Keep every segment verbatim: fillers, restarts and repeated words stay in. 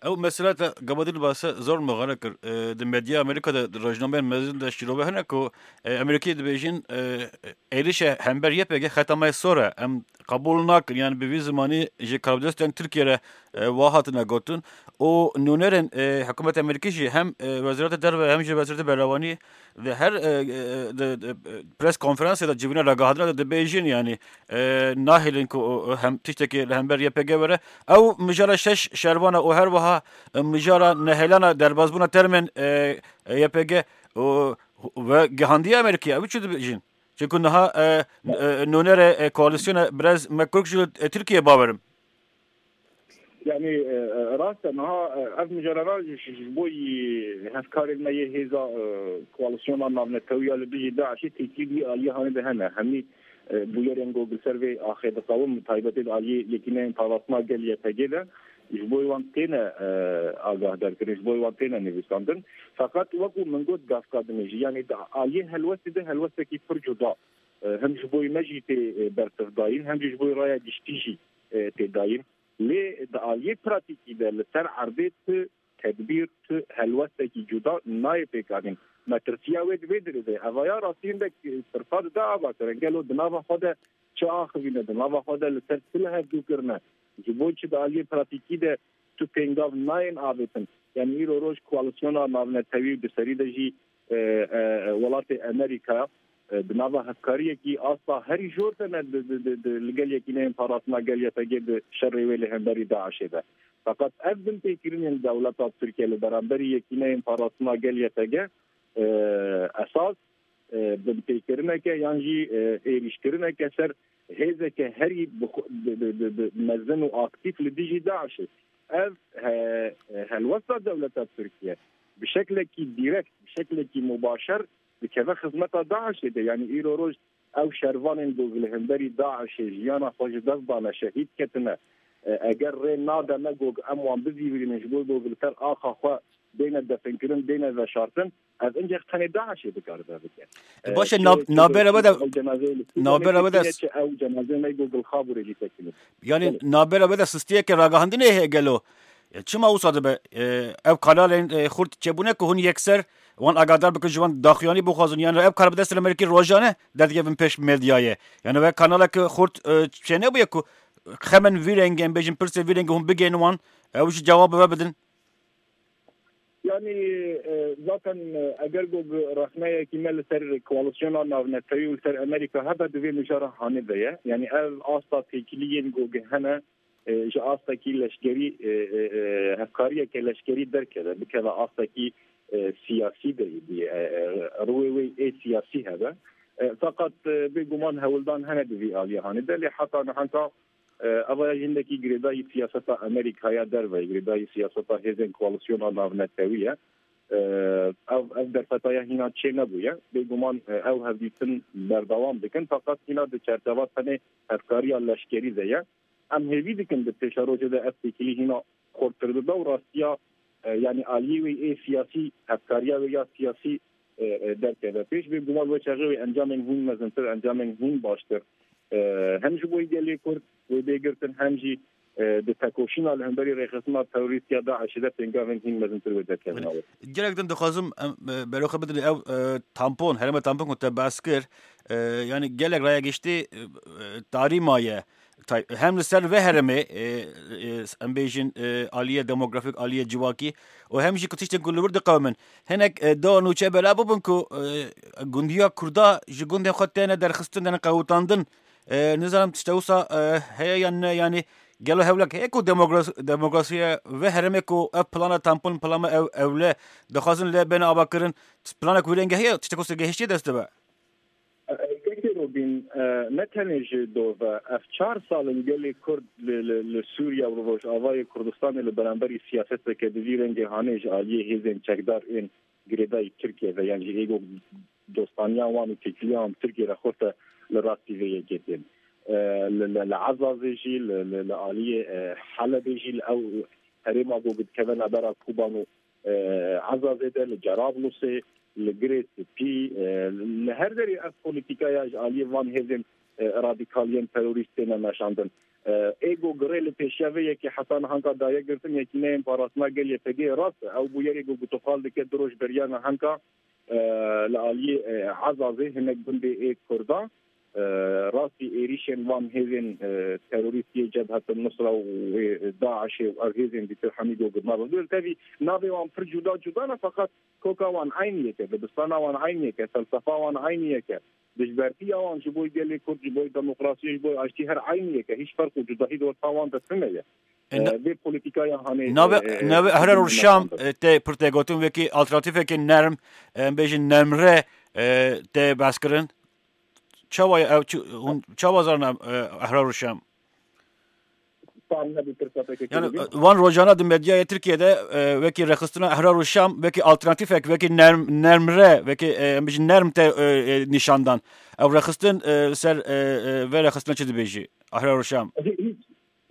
Ew mesela te gava din base zor muxare kir. E, di medya Amerîka de, di rojnameyên mezin de şîrove hene ku, e, Amerîkî dibêjin, e, êrişe hember Y P G xeta me sor e. Em qebûl nakin. Yani bi vî zimanî ji karbidestên Tirkiye re, e, wa hatine gotin. Û nûnerên, e, hikûmeta Amerîkî jî hem, e, Wezareta Derve hem jî Wezareta Berewanî di her, e, e, di, di, e, pres konferansê de civîna ragihandina de dibêjin, yani, e, nahêlin ku, e, hem tiştekê li hember Y P G were. Ew mijara şeş şervan e û her wiha, e, mijara nehêlana derbazbûna termên, e, e, Y P G û, ve gihandiye Amerîkî. Ew çi dibêjin? Çimku niha, e, e, nûnerê, e, koalîsyona birez McCork ji, e, Tirkiye bawerim. Yani, e, e, rast e, niha, e, ev mijarana ji, ji, ji bo yî hevkarên me yê hêza, e, koalîsyona navnetewî ya li dijî DAIŞê têkilî aliyê hanê de hene. Hemî, e, bûyerên ku li ser vê axê diqewin, bi taybetê di aliyê Yekîneyên Parastina Gel Y P G de, ji bo wan têne, e, agahdarkirin, ji bo wan têne nivîsandin. Feqet wekû min got gavka dinê jî, yani di aliyê helwestê de helwestekî pir cuda, e, hem ji bo me jî tê, e, bersiv dayîn, hem jî ji bo raya giştî jî, e, tê dayîn. Lê di aliyê pratîkî de li ser erdê tu tedbîr, tu helwestekî cuda nayê pêkanîn. Metirsiya wê di vê dirê de ye. Evaya rastî hindek tirsa dide avakirin. Gelo di nava xwe de çi axivîne, di nava xwe de li ser çi li hevdû kirine? Ji bo çi di aliyê pratîkî de tu pêngav nayên avêtin? Yani îro roj koalîsyona navnetewî û di serî de jî, e, e, welatê Amerîka, e, di nava hevkariyekî asta herî jor de ne di, di, di, di, li gel Yekîneyên Parastina Gel Y P G di şerê wê li hemberî DAIŞê de. Feqet ev binpêkirinên dewleta Tirkiye li beramberî Yekîneyên Parastina Gel Y P G, e, esas, e, binpêkirineke yan jî, e, êrîşkirineke ser hêzeke herî bi xwe, bi, bi, bi, bi mezin û aktîf li dijî DAIŞê. Ev he-, helwesta dewleta Tirkiye bi şeklekî dîrekt, bi şeklekî mubaşer dikeve xizmeta DAIŞê de. Yani îro roj ew şervanên ku li hemberî DAIŞê jiyana xwe ji dest dane, şehîd ketine, e, eger rê nade me ku em wan bizîvirînin ji bo ku li ser axa xwe bêne definkirin, bêne veşartin, ev incek tenê DAIŞê dikare vê bike. E, baş e, çi, nav-, çi navbera we de, ew cenazeyê li Sûriyê navbera we de têkilî ye, s-, çi ew cenazeyê me ku li Xabûrê jî têkilî. Yani, belê, navbera we de sistiyeke ragandinê heye gelo? E, çima wisa dibe? E, ev kanalên, e, xurt çêbûne ku hûn yekser wan agadar bikin, ji wan daxuyanî bixwazin. Yani ev kar bi dest li Amerîkî rojane derdikevin pêş medyayê. Yani ve kanaleke xurt, e, çênebûye ku xemên vî rengê, em bêjin pirsê vî rengê hûn bigihînin wan, ew jî cewab bi we bidin. Yani, e, zaten, e, eger ku bi rexneyekî me li ser koalîsyona navnetewî û li ser Amerîka hebe, di vê mijara hanê de ye. Yani ev asta têkiliyên ku hene, e, ji astekî leşkerî, e, e, e, hevkariyeke leşkerî derkeve, bikeve astekî, e, siyasî de bî, e, e, rûyê wê ê siyasî hebe. E, feqet, e, bêguman hewldan hene di vî aliyê hanê de, lê heta niha, e, eva ya jî hindekî girêdayî siyaseta Amerîkaya derve, girêdayî siyaseta hêzên koalîsyona navnetewî ye. E, ev, ev derfetaya hîna çê nebûye. Bêguman, e, ew hevdîtin berdewam dikin, feqet hîna di çerçeva tenê hevkariya leşkerî de ye. Em hêvî dikin di pêşerojê de ev têkilî hîna xurttir bibe û rastiya, e, yanî aliyê wê ê siyasî, hevkariya wê ya siyasî, e, e, derkeve pêş. Bêguman wê çaxê wê encamên hîn mezintir, encamên hîn baştir, e, hem ji bo gelê Kurd wê bê girtin, hem jî, e, di tekoşîna li hemberî rêxistina terorîst ya DAIŞê de pêngavên hîn mezintir wê derkevin. Belê. Gelek din dixwazim em, e, beroxê bidin ew, e, tampon, herêma tampon ku te behs kir, e, yanî gelek raya giştî, e, e, tarî maye. Tay-, hem li ser vê herêmê, e, e, em bêjin, e, aliyê demografîk, aliyê civakî û hem jî ku tiştên ku li wir diqewimin. Hinek, e, do nûçe bela bibin ku, e, gundiya Kurda ji gundên xwe têne derxistin, têne qewitandin. E, nizanim tişte wisa, e, heye yan ne, yanî gelo hewlek heye ku demokras-, demokrasiya vê herêmê ku ev plana tampon, plana ew-, ewle dixwazin lê bêne avakirin, planek wî rengê heye, tiştek wisa gehiştiye dest dibe? Kekê Robîn, e, ne tenê ji dov e. Ev çar sal in gelê Kurd li, li, li Sûriye û li Rojavayê Kurdistanê li beramberî siyaseteke di vî rengê hanê ji aliyê hêzên çekdar ên girêdayî Tirkiye ve, yan jî êgo dostaniya wan û têkiliya wan bi Tirkiye re xurte li rastî vê yekê tên. E, li, li, li Ezazê jî, li, li, li aliyê, e, Helebê jî, li ew herêma ku dikeve navbera Koban û e, Ezazê de, li Cerablusê, li Girê Spî, e, li her derê ev polîtîkaya ji aliyê van hêzên, e, radîkal yên terorîst têne meşandin. Ê ku girê li pêşiya vê yekê heta nihanka daye girtin, Yekîneyên Parastina Gel Y P G rast e. Ew bûyerê ku gotoxal dike du roj beriya nihanka, e, li aliyê, e, Ezazê hinek gundê ê Kurdan, e, rastî êrîşên van hêzên, e, terorîst yê Cebhetin Nusra û wê DAIŞê û ev hêzên dîtir hemî ku girna bi. Tevî navê wan pir cuda cuda ne, feqet koka wan eynî yek e, dibistana wan eynî yek e, felsefa wan eynî yek e. Dijbertiya wan ji bo gelê Kurd, ji bo demokrasiyê, ji bo aştî her eynî yek e. Hîç ferq û cudahî di wexta wan de tune ye. E, na-, Vê polîtîkaya hanê, navê, e, e, navê Ehrar û Şam, e, tê pir tê gotin, wekî alternatîfekî nerm, e, em bêjin nermre, e, tê behs kirin. Çawa ye ew, çi, hûn çawa zarna, e, Ehrar û Şam? Tam nebî pirsa pekekê Yani, bibî. E, van rojana di medyaya Tirkiye de, e, wekî rexistina Ehrar û Şam, wekî alternatîfek, wekî nerm, nermre, wekî, e, em bêjin nerm te, e, e, nîşan dan. Ew rexistin, e, ser, e, e, vê rexistina çi dibêjî? Ehrar û Şam. Hî-, hîç,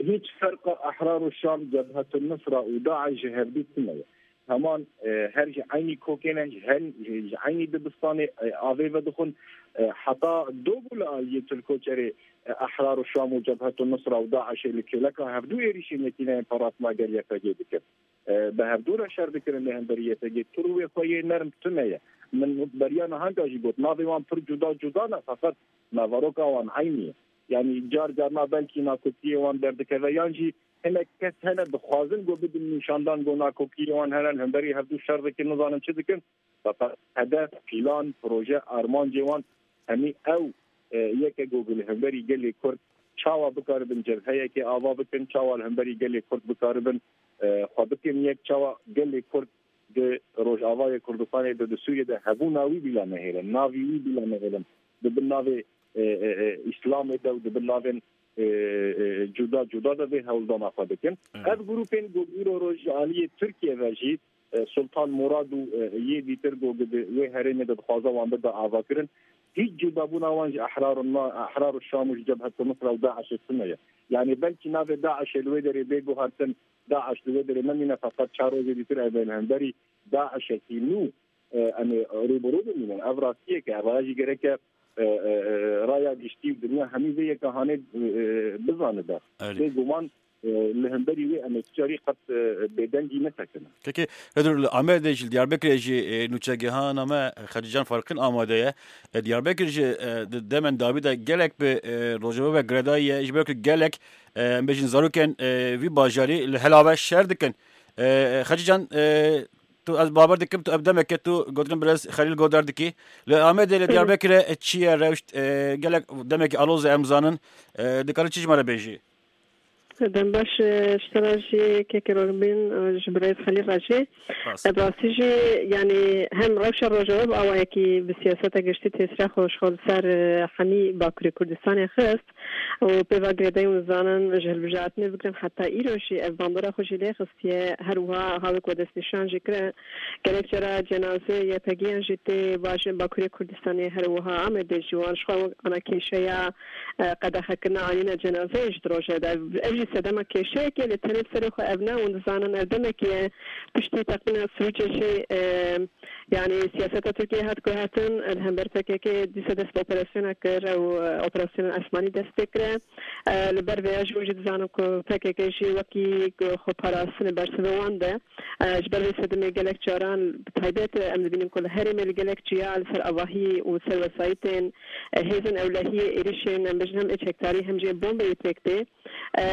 hîç ferqa Ehrar û Şam, Cebhetun Nusra û DAIŞ ji hevdû tune ye. Heman, e, her ji eynî kokê ne, ji hen-, ji, ji eynî dibistanê, e, avê vedixwin. E, heta do bû li aliyê Tirkoçerê, e, Ehrar û Şam û Cebhetun Nusra û DAIŞê li kêleka hevdû êrîşên Yekîneyên Parastina Gel Y P G dikin. E, bi hevdû re şer dikirin li hemberî Y P G. Tu rûyê xwe yê nerm tune ye. Min beriya nihanka jî got, navê wan pir cuda cuda ne, feqet naveroka wan eynî ye. Yanî car carna belkî nakokiyê wan derdikeve, yan jî hinek kes hene dixwazin ku bidin nîşandan ku nakokiyê wan hene, li hemberî hevdû şer dikin, nizanim çi dikin. Feqet hedef, pîlan, proje, armancê wan hemî ew, e, yek e ku li hemberî gelê Kurd çawa bikaribin cebheyekê ava bikin, çawa li hemberî gelê Kurd bikaribin, e, xwe bikin yek, çawa gelê Kurd di Rojavayê Kurdistanê de, di Sûriyê de hebûna wî bila nehêlin, navî wî bila nehêlin, di bin navê, e, e, e, Îslamê de û di bin navên, e, e, cuda cuda de vê hewldana xwe dikin. Evet. Ev grûpên ku îro roj ji aliyê Tirkiye ve jî, e, Sultan Murad û, e, yê dîtir ku di wê herêmê de dixwaze wan bide avakirin, hîç cudabûna wan ji Ehrar û Na-, Ehrar û Şam û ji Cebhet Nusra û DAIŞê tune ye. Yanî belkî navê DAIŞê li wê derê bê guhartin, DAIŞ li wê derê nemîne, feqet çar rojê dîtir ev ê li hemberî DAIŞekî nû, e, em ê rûbirû bimînin. Ev rastiyek e, ev raya jî gereke, e, e, e, raya giştî û dinya hemî vê yeka hanê, e, e, bizanibe. Erê. Bêguman, e, li hemberî wê em ê tu carî qet, e, bêdengî nesekinin. Peki, Hêdur, li Amedê jî, li Diyarbekirê jî, e, nûçegihana me, Xecîcan Farqîn amade ye. E, Diyarbekir jî, e, di demên dawî de gelek bi, e, Rojava ve girêdayî ye. Ji ber ku gelek, e, em bêjin zarokên, e, vî bajarî li hela ve şer dikin. E, e, Xecîcan, e, tu, ez bawer dikim, tu ev demeke tu gotinên birêz Xelîl godar dikî. Li Amedê, li Diyarbekirê, e, çi ye rewşt? E, gelek demekî aloz e, em zanin. E, dikarî çi ji me re bêjî? Dem baş, e, ji te re jî kekê Rojbîn, e, ji birêz Xelîl re jî. Rast. E, bi rastî jî, yanî hem rewşa Rojava bi awayekî bi siyaseta giştî tesîra xwe ji xwe li ser, e, hemî Bakurê Kurdistanê xist û pê va girêdayî hûn zanin ji hilbijartinê bigirin heta îro jî ev bandora xwe jî lê xistiye. Her wiha ha wek we destnîşan jî kire, gelek cara cenazeyê Y P G'yan jî tê bajên Bakurê Kurdistanê, her wiha Amedê jî wan ji xwe wek ana kêşeya, e, qedexekirina anîna cenazeyê ji di rojê de. Ev jî sedema kêşeyekê, lê tenê li serê xwe ev ne. Hûn dizanin ev demekê ye piştî teqîna Sirûcê jî, e, yanî siyaseta Tirkiyeyê hat guhertin, li hember P K K dîsa dest bi operasyona kir, ew, e, operasyona esmanî dest pê kire. E, li ber vêya jî hûn jî dizanin ku P K K jî wekî ku xwe parastinê bersivê wan de. E, ji ber vê sedemê gelek caran, bi taybet, e, em dibînin ku li herêmê li gelek ciya li ser avahî û ser wesayîtên, e, hêzên ewlehiyê êrîşên, em bêjin hem ê çekdarî hem jî bombeyê pêk tê. E,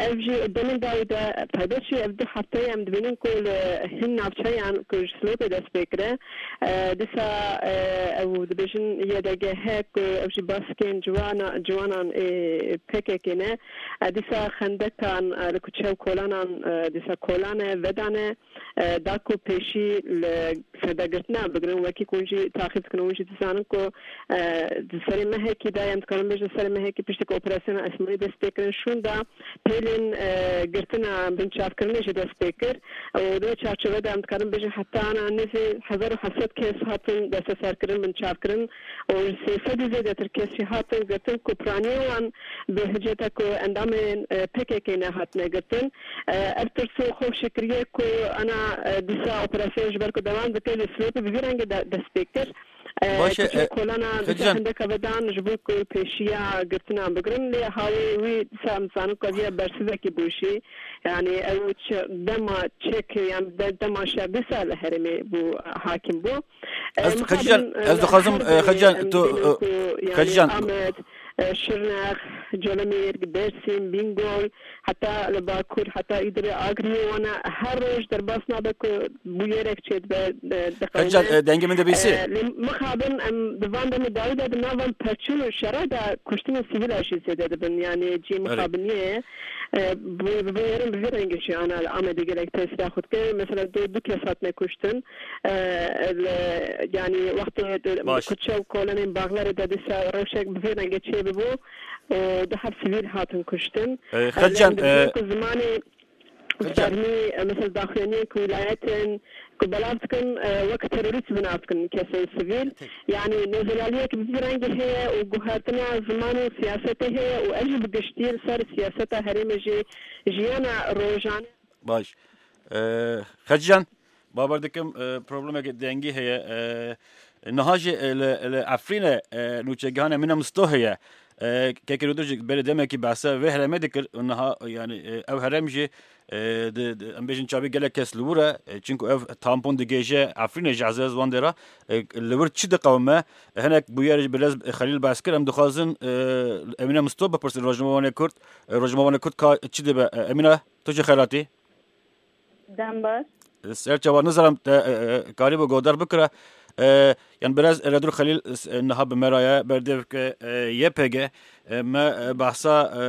ev jî demên dawî de, bi taybet jî ev du hefteyê em dibînin ku li hin navçeyan ku ji Silopê dest pê kire, e, dîsa, e, ew dibêjin Y D G H ku ew jî baskên ciwana-, ciwanan ê P K K ne. E, dîsa xendekan, e, li kuçe û kolanan, e, dîsa kolan e, vedan e, e, da ku pêşî li sedegirtina bigirin, wekî ku hûn jî taxîb dikin û hûn jî dizanin ku, e, di serê mehekî de, em dikarin bêjin serê mehekî piştî ku operasyona esmanî dest pê kirin, şûnda pêlên, e, girtina binçavkirinê jî dest pê kir û di wê çarçove de em dikarin bêjin heta ana nêzî hezar û heft sed kes hatin desteserkirin, binçavkirin û sê sed û zêdetir kes jî hatin girtin ku piraniyê wan bi hiceta ku endamên, e, P K K ne hatine girtin. E, ev tirs û xewf jî kiriye ku ana, e, dîsa operasyon ji ber ku dewam dike, li Silopê bi vî rengê de dest pê kir. Baş e, kolana dike hindeka vedan ji bo ku pêşiya girtinan bigirin, lê hawê wî dîsa em zanin ku ev ya bersivekî bû jî. Yani ew çi, dema çek, yani de-, dema şer dîsa li herêmê bû, hakim bû. Ez, Xecîcan, ez dixwazim, Xecîcan, tu, Xecîcan. Amed, Şirnex, Colemêrg, Dêrsim, Bîngol, heta li Bakur, heta Îdirê, Agiriyê wana her roj derbas nabe ku bûyerek çêdibe, e, diqewime. Xecîcan, e, dengê min dibîsî? E, lê mixabin em di van demê dawî de di nav van perçûn û şera de kuştinên sivîla jî zêde dibin. Yani cî mixabiniyê ye. E, bi, bi vê yerin bi vî rengê jî ana li Amedê gelek tesîra xwe dike. Mesela du, du kes hatine kuştin. E, li, yani wextê di, Baş. Kuçe û kolanên Baxlerê de dîsa rewşek bi vî rengê çêbibû. E, du heb sivîl hatin kuştin. E, Xecîcan, e, ku zimanê Fermî, e, mesela daxuyaniyên ku wilayetên ku belav dikin, e, wek terorîst bi nav dikin kesên sivîl. Yanî nêzelaliyek bi vî rengî heye û guhertina ziman û siyasetê heye û ev jî bi giştî li ser siyaseta herêmê jî jiyana rojane. Baş. E, Xecîcan, bawer dikim, e, problemeke dengî heye. E, niha jî, e, li, li Efrînê, e, nûçegihan Emîne Misto heye. E, Kekê Rûdir jî berê demekî behsa vê herêmê dikir û niha, yani, e, ev herêm jî, e, di, di, em bêjin çavî gelek kes li wir e, e, çinku ev tampon digêje Efrînê ji ezez wan dêra, e, li wir çi diqewime? E, hinek bûyer ji birêz Xelîl behs kir, em dixwazin, e, Emîne Misto bipirsin, rojnamevanê Kurd, e, rojnamevanê Kurd ka çi dibe? E, Emîne, tu jî xelatî? Dem baş. Ser çava nizanim te, e, e, karîbû godar bikira. E, yan biraz Redur Xelîl, e, niha bi me re ye, berdevke, e, Y P G. E, me, e, behsa, e,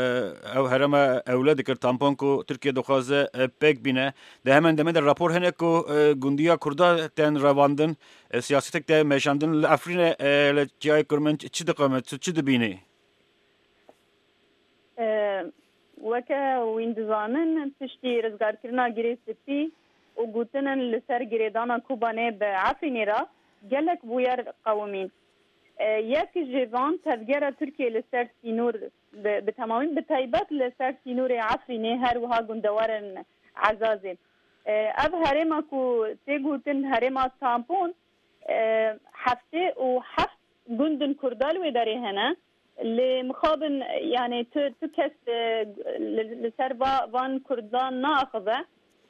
ew herêma ewle dikir, tampon ku Tirkiye dixwaze, e, pêk bîne. Di hemen demê de rapor hene ku, e, gundiya Kurda tên revandin, e, siyasetek te meşandin. Li Efrînê, e, li Çiyayê Kurmenc çi diqewime, tu çi dibînî? E, weke wîn dizanin, piştî rizgarkirina Girê Spî û gotinin li ser girêdana Kobanê bi Efrînê re gelek bûyer qewimîn. E, yek ji van tevgera Tirkiyê li ser sînor bi, bi temamî, bi taybet li ser sînorê Efrînê, her wiha gundewarên Ezazê. E, ev herêma ku tê gotin herêma tampon, e, heftê û heft gundin Kurda li wê derê hene. Lê mixabin, yani tu, tu kes, e, li, li ser va, van Kurdan naaxive.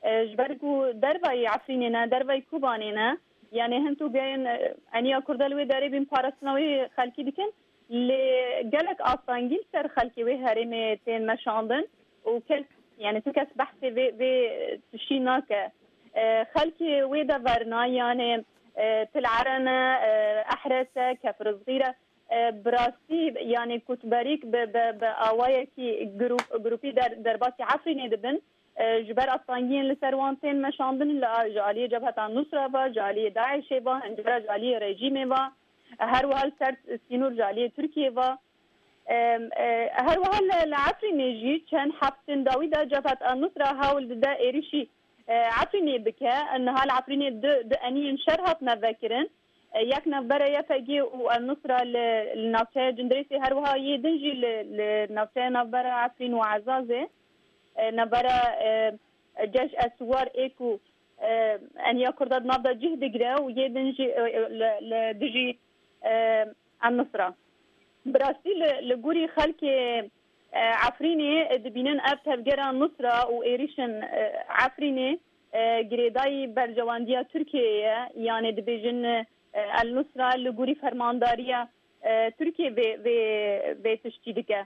E, ji ber ku dervayî Efrînê ne, dervayî Kobanê ne. Yani hin tu geyên, e, eniya Kurda li wê derê bên parastina wê xelkî dikin. Lê gelek astangî li ser xelkê wê herêmê tên meşandin û kes, yani tu kes behsê vê, vê tiştî nake. E, xelkê wê de verna, yani, e, Til Ere ne, e, Ehres e, Kefir Zixîr e. E, bi rastî, yani kutberîk bi, bi, bi awayekî grup, grupî der, derbasî Efrînê dibin. E, ji ber astangiyên li ser wan tên meşandin, li a-, ji aliyê Cebheta Nusra ve, ji aliyê DAIŞê ve, hincare ji aliyê rejîmê ve, e, her wiha li ser sînor ji aliyê Tirkiyê ve. E, e, her wiha li, li Efrînê jî çend heftên dawî de Cebheta Nusra hewl dide êrişî, e, Efrînê bike. Niha li Efrînê du, du eniyên şer hatine vekirin. E, yek navbera Y P G û El Nusra li, li navçeya Cindirêsê, her wiha yê din jî li, li navçeya navbera Efrîn û Ezazê, e, navbera, e, Ceş Eswar ê ku, e, eniya Kurda di nav de cih digire û yê din jî, e, e, li, li dijî, e, El Nusra. Bi rastî li, li gorî xelkê, e, Efrînê, e, dibînin ev tevgera Nusra û êrîşin, e, Efrînê, e, girêdayî berjewendiya Tirkiyeyê ye. Yanê dibêjin, e, El Nusra li gorî fermandariya, e, Tirkiyê vê, vê, vê tiştî dike.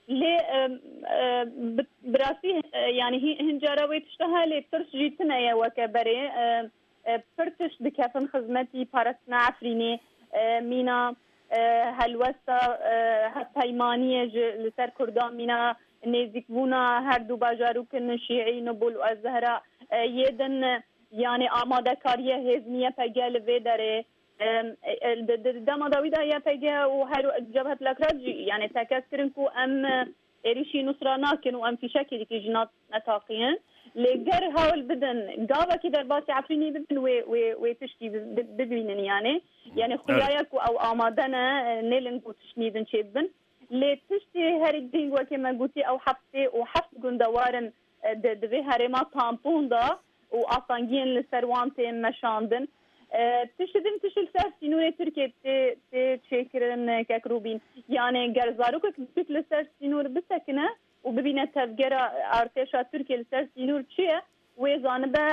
Lê, e, e, bi, bi rastî, e, yanî hî-, hin cara wê tişta heye, lê tirs jî tune ye weke berê. E, e, pir tişt dikefin xizmetî parastina Efrînê, e, mîna, e, helwesta, e, hevpeymaniyê ji li ser Kurdan, mîna nêzîkbûna her du bajarokên Şîî, Nobul û Ez-Zehra, e, yê din, e, yanî amadekariya hêzên Y P G li vê derê, e, e, di, di, di dema dawî de Y P G û her Cebhet Lekrat jî, yanî tekez kirin ku em, e, êrîşî Nusra nakin û em fîşekê dikî ji nav netaqîn. Lê ger hewl bidin, gavekî derbasî Efrînê bibin, wê, wê, wê tiştî bi-, bi-, bibînin yanî. Yanî Evet. Xuyaya ku ew amade ne, e, nêlin ku tişt nîvin çêbibin. Lê tiştê herî girîng wekî me gotî ew heftê û heft gundewar in, e, di, di vê herêma tampon de û astangiyên li ser wan tên meşandin. E, tişt din tişt li ser sînorê Tirkiyê tê, tê çêkirin, e, kek Rûbîn. Yani ger zarokek biçûk li ser sînor bisekine û bibîne tevgera artêşa Tirkiyê li ser sînor çi ye, wê zanibe,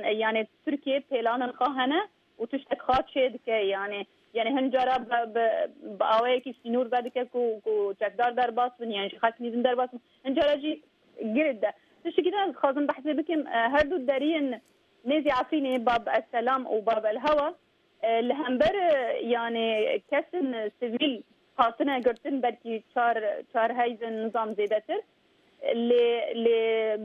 e, yani Tirkiye pêlanin xwe hene û tiştek xwe çê dike. Yani, yani hin cara bi, bi, bi awayekî sînor vedike ku, ku çekdar derbas bin, yani ji xelk nîzin derbas bin. Hin cara jî girê de. Tiştekî din ez dixwazim behsê bikim, e, her du deriyên nêzî Efrînê, Bab Es Selam û Bab El Hewa, e, li hember, e, yani kesên sivîl hatine girtin, belkî çar, çar heyzên nizam zêdetir. Lê, lê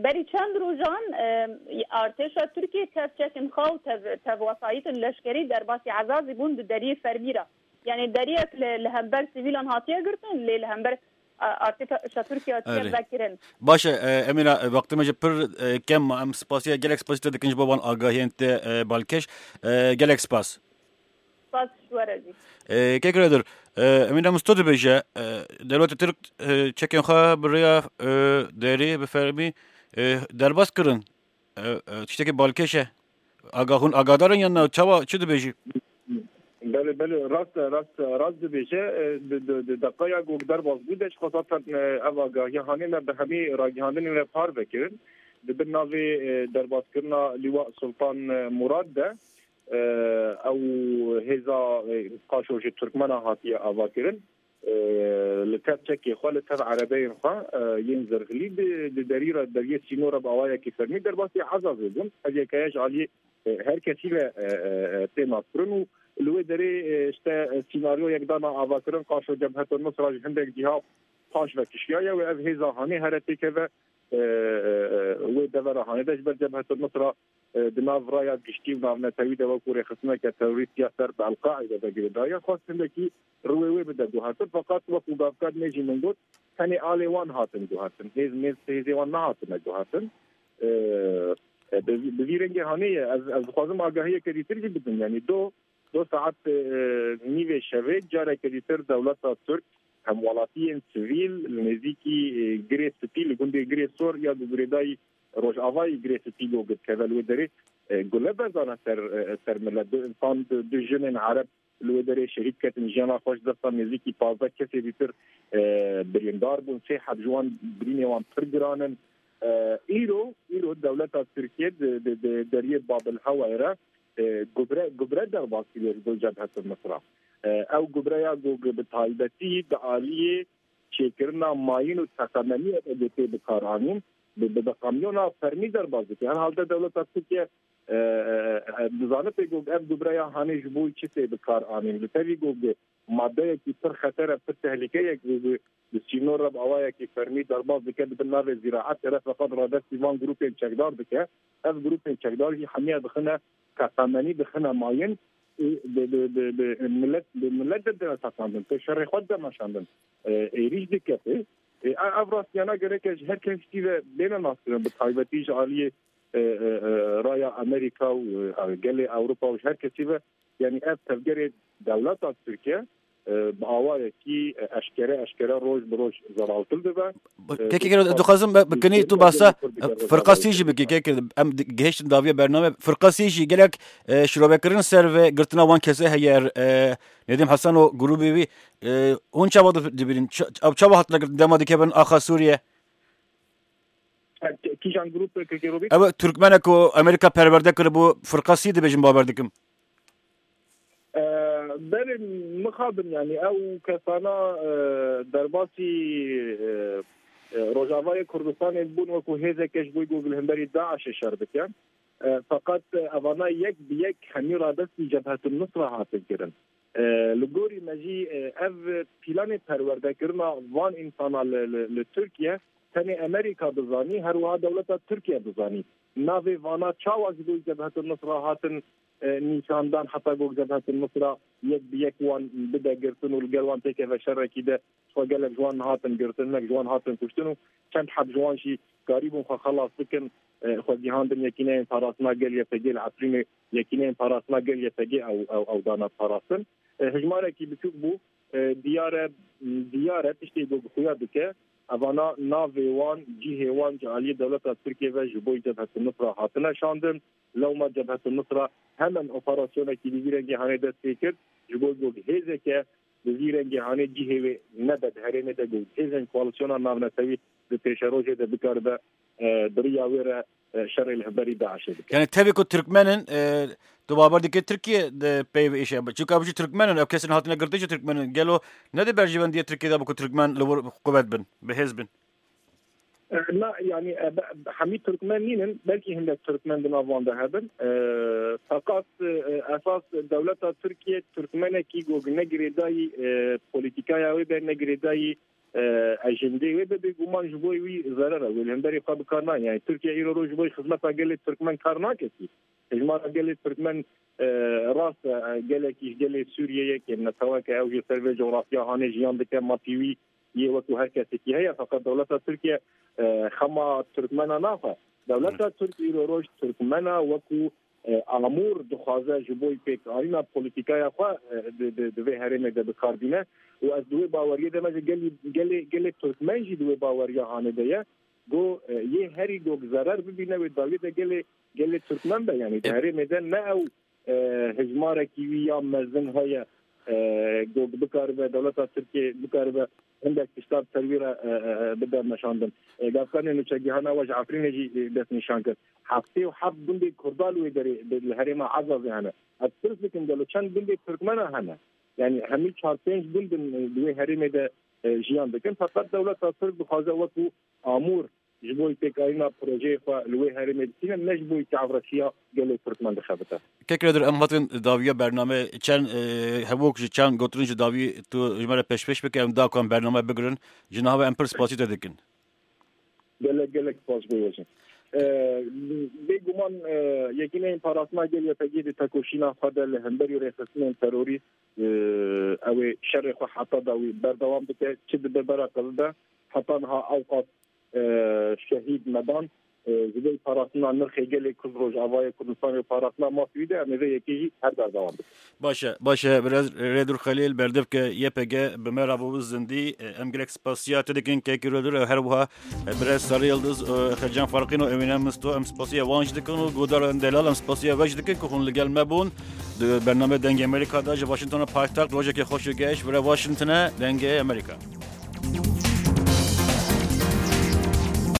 berî çend rojan, e, artêşa Tirkiyê tev çekin xwe û tev, tev wesayîtin leşkerî derbasî Ezazî bûn di deriyê fermî re. Yani deriyek li, li hember sivîlan hatiye girtin, lê li hember, a, artêşa Tirkiye hatiye Erê. vekirin. Baş e, e, Emîna, e, wextê me ji pir, e, kem ma, em spasiya, gelek spasiya te dikin ji bo van agahiyên te, e, balkêş. E, gelek spas. Spas ji we re jî. E, Kek Redir, e, Emîna Musto dibêje, e, dewleta Tirk, e, çekên xwe bi rêya, e, derê, bi fermî, e, derbas kirin. E, e, tiştekî balkêş e. Aga hûn agadar in yan na? Çawa, çi dibêjî? Belê, belê, rast e, rast e, rast dibêje. E, di, di, di deqeya ku derbas bû de, ji xwe zaten, e, ev agahiya hanê me bi hemî ragihandinê me parve kirin. Di bin navê, e, derbaskirina Lîwa Sultan, e, Murad de, e, ew hêza, e, qaşo ji Turkmena hatiye avakirin. E, li tev çekê xwe, li tev erebeyên xwe, e, yên zirxilî di, di derî re, deriyê sînor re bi awayekî fermî derbasî Ezazê bûn. Ev yekeye ji aliyê, e, her kesî ve, e, e, e, tê naskirin û li wê derê, e, işte, e, sînaryoyek dana avakirin, qaşo Cebhetul Nusra ji hindek ciha paş ve kişiyaye û ev hêza hanê here têkeve, e, e, e, wê devera hanê de ji ber Cebhetul Nusra, e, di nav raya giştî û navnetewî de wekû rêxistineke terorîst ya ser bi El-Qaîde ve girêdayî, xwest hindekî rûyê wê bide guhertin. Feqet wekû gavkar nê jî min got, tenê alê wan hatin guhertin. Hêz, mêz, hêzê wan nehatine guhertin. E, e, bi, bi vî rengê hanê ye. Ez, ez dixwazim agahiyeke dîtir jî bidim. Yanî do, do saet, e, nîvê şevê careke dîtir dewleta Tirk, hemwelatiyên sivîl li nêzîkî, e, Girê Spî, li gundê Girê Sor ya ku girêdayî Rojavayê Girê Spî go dikeve li wê derê, e, gule bezana ser, e, ser milet. Du însan, du, du jinên Ereb li wê derê şehîd ketin, jiyana xwe ji dest dan, nêzîkî pazdeh kesê dîtir, e, birîndar bûn, sê heb ji wan birînê wan pir giran in. E, îro, îro dewleta Tirkiye di, di, di deriyê Babil Hewayê re, e, gubre, gubre derbas kiriye ji bo Cebhetul Nusra. E, ew gubreya ku bi taybetî di aliyê çêkirina mayîn û teqemeniyê de tê bikaranîn, bi, bi, bi kamyona fermî derbas dike. Herhalde dewleta Tirkiye, e, e, e, dizanibê ku ev gubreya hanê ji bo çi tê bikaranîn. Li tevî ku madeyekî pir xeter e, pir tehlîke ye ku bi, bi sînor re bi awayekî fermî derbas dike, di bin navê zîraetê re, feqet radestî van grûpên çekdar dike. Ev grûpên çekdar jî hemiya dixine teqemenî, dixine mayîn û bi, bi, bi, bi milet, bi milet de dine teqandin, pê şerê xwe dide meşandin. E, êrîş dike pê. E, ev rastiyana gereke ji her kesî ve bêne naskirin, bi taybetî ji aliyê, e, e, e, raya Amerîka û, e, gelê Ewropa û ji her kesî ve, yanî ev tevgerê dewleta Tirkiye, e, bi awayekî, e, eşkere, eşkere roj bi roj zeraltil dibe. E, Kekê Gero, dixwazim bi, bi kinî tu basa firqa sî jî bikî, Kekê, em di-, gihiştin daviya bername. Firqa sî jî gelek, e, şirovekirin ser ve girtina wan kese heye, e, Nedîm Hesen û grûbê wî, e, hûn çawa di-, dibînin? Ç-, ew çawa hatine girtin? Dema dikevin axa Sûriye? Kîjan grûp, Kekê Robî? Ew Türkmenek û Amerîka perwerde kiribû, firqa sî dibêjin, bawer dikim. E, berê mixabin, yanî ew kesana, e, derbasî, e, e, Rojavayê Kurdistanê bûn, wekû hêzeke ji bo ku li hemberî DAIŞê şer bike. E, feqet, e, evana yek bi yek hemî radestî Cebhetul Nusra hatin kirin. E, li gorî me jî, e, ev planê perwerdekirina van însana li, li, li Tirkiye tenê Amerîka dizanî, her wiha dewleta Tirkiye dizanî. Navê vana çawa ji bo Cebhetul Nusra hatin, e, nîşandan, heta ku Cebhetul Nusra yek bi yek wan bide girtin û li gel wan têkeve şerekî de, xwe gelek ji wan hatin girtin, hinek ji wan hatin kuştin û çend heb ji wan jî karîbûn xwe xelas bikin, e, xwe gihandin Yekîneyên Parastina Gel, Y P G, li Efrînê Yekîneyên Parastina Gel, Y P G, ew, ew, ew dane parastin. E, hejmarekî biçûk bû, e, diyar e, diyar e, tiştê ku xuya dike, Evana navê wan, cihê wan ji aliyê dewleta Tirkiye ve ji bo Cebhetin Nusra hatine şandin. Lewma Cebhetin Nusra hemen operasyonekî li vî rengê hanê dest pê kir, ji bo ku hêzeke bi vî rengê hanê cihê wê nebe di herêmê de, ku hêzên koalîsyona navnetewî di pêşerojê de bikaribe, e, bi riya wê re, e, şerê li hemberî DAIŞê bike. Yani tevî ku Tirkmen in, e, tu bawer dike Tirkiye di pey ve îşe be. Çunka bijî Tirkmen in, ev kesên hatine girtin jî Tirkmen in. Gelo ne di berjewendiyê Tirkiye de be ku Tirkmen li wir quwet bin, bi hêz bin? E, na, yani, e, be-, hemî Tirkmen nînin, belkî hindek Tirkmen di nav wan de hebin. E, feqat, e, esas dewleta Tirkiye Tirkmenekî ku ne girêdayî, e, polîtîkaya wê be, ne girêdayî, e, ejendê wê be, bêguman ji bo wî zerer e. Wê li hemberî xwe bi kar nayê. Yani Tirkiye îro roj ji bo xizmeta gelê Tirkmen kar nake kî. Hejmara gelê Tirkmen, e, rast e, e, gelekî ji gelê Sûriyeyê ke neteweke ew jî ser vê coğrafya hanê jiyan dike, mafî wî yê wekû her kesekî heye, feqet dewleta Tirkiye, e, xema Tirkmena naxe. Dewleta Tirk îro roj Tirkmena wekû, e, amûr dixwaze ji bo pêkarîna polîtîkaya xwe, e, di, di, di vê herêmê de bi kar bîne. Û ez di wê baweriyê de me ji gelî, gelê, gelê Tirkmen jî di wê baweriya hanê de ye. Go, e, yê herî gok zerer bibîne wê dawiyê de gelê, gelê Tirkmen be. Yani di E- herêmê de ne ew, e, hejmarekî wî ya mezin heye, e, go bikaribe, dewleta Tirkiyê bikaribe hindek tişta bi ser wî re, e, e, e, bide meşandin. E, Gavkanê nûçegihana we ji Efrînê jî, e, destnîşan kir. Heftê û heft gundê Kurda li wê derê, li herêma Ezazê hene. Ez pirs dikim, gelo çend gundê Tirkmena hene? Yani hemî çar pênc gund in, e, di wê herêmê de, e, jiyan dikin. Feqet dewleta Tirk dixwaze wekû amûr ji bo pêkarîna projeyê xwe li wê herêmê distîne, ne ji bo çavreşiya gelê Tirkmen dixebite. Kek Redur, em hatin dawiya bername, çend, e, hevok ji çend gotin ji dawî tu ji me re pêşpêş bike, em da ku em bername bigirin, ji niha ve em pir spasî te dikin. Gelek, gelek spas bo we jî. E, bêguman, e, Yekîneyên Parastina Gel, Y P G, di tekoşîna xwe de li hemberî rêxistinên terorîst, e, ew ê şerê xwe heta dawî berdewam dike, çi dibe bera qil de, heta niha ewqas, e, şehîd medan, e, ji bo parastina nirxê gelê Kurd, Rojavayê Kurdistanê û parastina mafê wî de, em ê vê yekê jî her berdewam bikin. Baş e, baş e, biraz Redur Xelîl, berdevke Y P G bi me re bû zindî. E, em gelek spasiya te dikin, kekî Redur, e, her wiha, e, biraz Sarı Yıldız, e, Xecan Farqîn û Emîne Misto, em spasiya wan jî dikin û guhdarên delal, em spasiya we jî dikin ku hûn li gel me bûn. Di bername Dengê Amerîka de ji Washingtona paytext, rojekê xweş û geş, vire Washingtone, Dengê Amerîka.